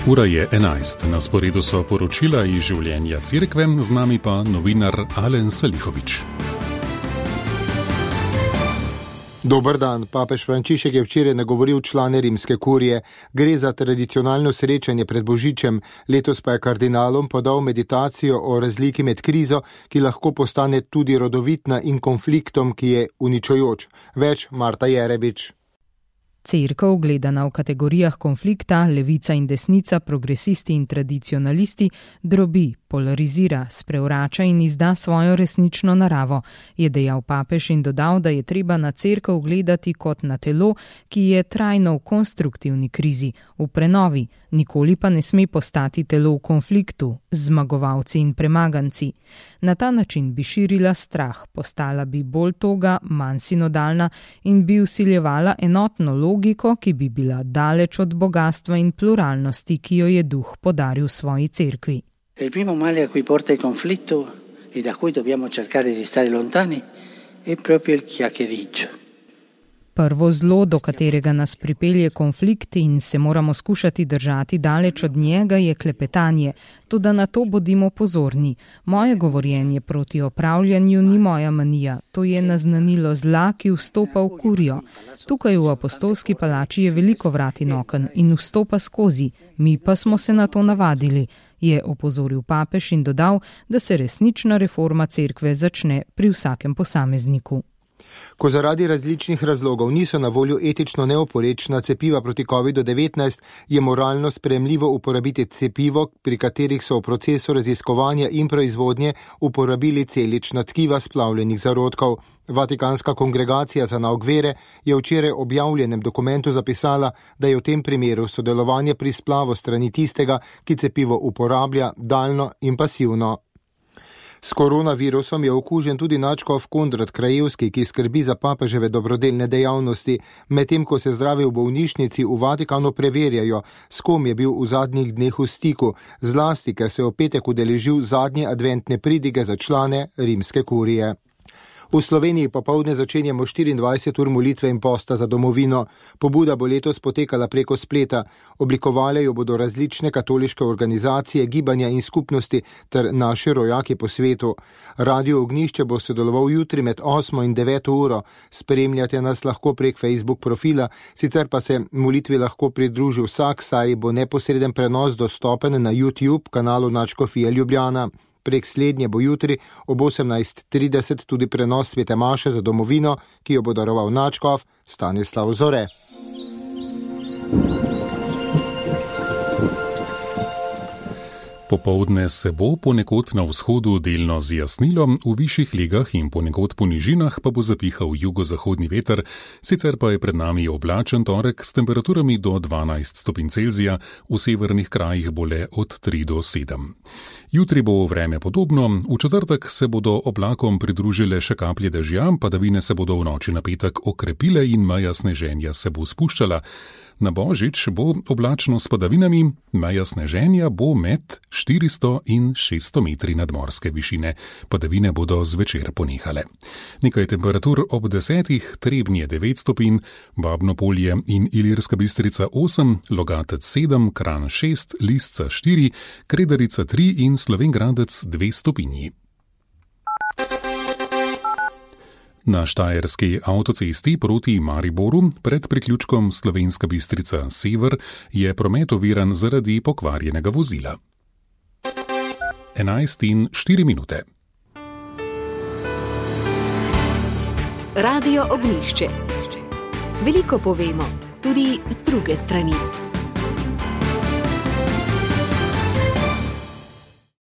Ura je 11, na sporedu so poročila iz življenja cerkve, z nami pa novinar Alen Salihovič. Dober dan, papež Frančišek je včeraj nagovoril člane rimske kurije. Gre za tradicionalno srečanje pred Božičem, letos pa je kardinalom podal meditacijo o razliki med krizo, ki lahko postane tudi rodovitna, in konfliktom, ki je uničujoč. Več Marta Jerebič. Cerkev, gledana v kategorijah konflikta, levica in desnica, progresisti in tradicionalisti, drobi, polarizira, sprevrača in izda svojo resnično naravo, je dejal papež in dodal, da je treba na cerkev gledati kot na telo, ki je trajno v konstruktivni krizi, v prenovi, nikoli pa ne sme postati telo v konfliktu, z zmagovalci in premaganci. Na ta način bi širila strah, postala bi bolj toga, manj sinodalna in bi vsiljevala enotno logiko, ki bi bila daleč od bogastva in pluralnosti, ki jo je duh podaril svoji cerkvi. Il primo male a cui porta il conflitto e da cui dobbiamo cercare di stare lontani è proprio il chiacchiericcio. Prvo zlo, do katerega nas pripelje konflikt in se moramo skušati držati daleč od njega, je klepetanje, toda na to bodimo pozorni. Moje govorjenje proti opravljanju ni moja manija, to je naznanilo zla, ki vstopa v kurijo. Tukaj v apostolski palači je veliko vrat in oken in vstopa skozi, mi pa smo se na to navadili, je opozoril papež in dodal, da se resnična reforma cerkve začne pri vsakem posamezniku. Ko zaradi različnih razlogov niso na voljo etično neoporečna cepiva proti COVID-19, je moralno sprejemljivo uporabiti cepivo, pri katerih so v procesu raziskovanja in proizvodnje uporabili celična tkiva splavljenih zarodkov. Vatikanska kongregacija za nauk vere je včeraj objavljenem dokumentu zapisala, da je v tem primeru sodelovanje pri splavu strani tistega, ki cepivo uporablja, daljno in pasivno. S koronavirusom je okužen tudi nadškof Konrad Krajevski, ki skrbi za papeževe dobrodelne dejavnosti. Medtem ko se zdravi v bolnišnici, v Vatikanu preverjajo, s kom je bil v zadnjih dneh v stiku, zlasti, ker se je v petek udeležil zadnje adventne pridige za člane rimske kurije. V Sloveniji popoldne začenjamo 24 ur molitve in posta za domovino. Pobuda bo letos potekala preko spleta. Oblikovale jo bodo različne katoliške organizacije, gibanja in skupnosti ter naši rojaki po svetu. Radio Ognjišče bo sodeloval jutri med 8 in 9 uro. Spremljate nas lahko prek Facebook profila, sicer pa se molitvi lahko pridruži vsak, saj bo neposreden prenos dostopen na YouTube kanalu Nadškofije Ljubljana. Prek slednje bo jutri ob 18:30 tudi prenos svete maše za domovino, ki jo bo daroval nadškof Stanislav Zore. Popoldne se bo ponekod na vzhodu delno zjasnilo, v višjih legah in ponekod po nižinah pa bo zapihal jugozahodni veter, sicer pa je pred nami oblačen torek s temperaturami do 12 stopinj Celzija, v severnih krajih bo le od 3 do 7. Jutri bo vreme podobno, v četrtek se bodo oblakom pridružile še kaplje dežja, padavine se bodo v noči na petek okrepile in meja sneženja se bo spuščala. Na Božič bo oblačno s padavinami, meja sneženja bo med 400 in 600 metri nadmorske višine. Padavine bodo zvečer ponehale. Nekaj temperatur ob 10, Trebnje 9 stopinj, Babno Polje in Ilirska Bistrica 8, Logatec 7, Kranj 6, Lisca 4, Kredarica 3 in Slovenj Gradec 2 stopinji. Na štajerski avtocesti proti Mariboru pred priključkom Slovenska Bistrica Sever je promet oviran zaradi pokvarjenega vozila. 11:04. Radio Ognjišče. Veliko povemo, tudi z druge strani.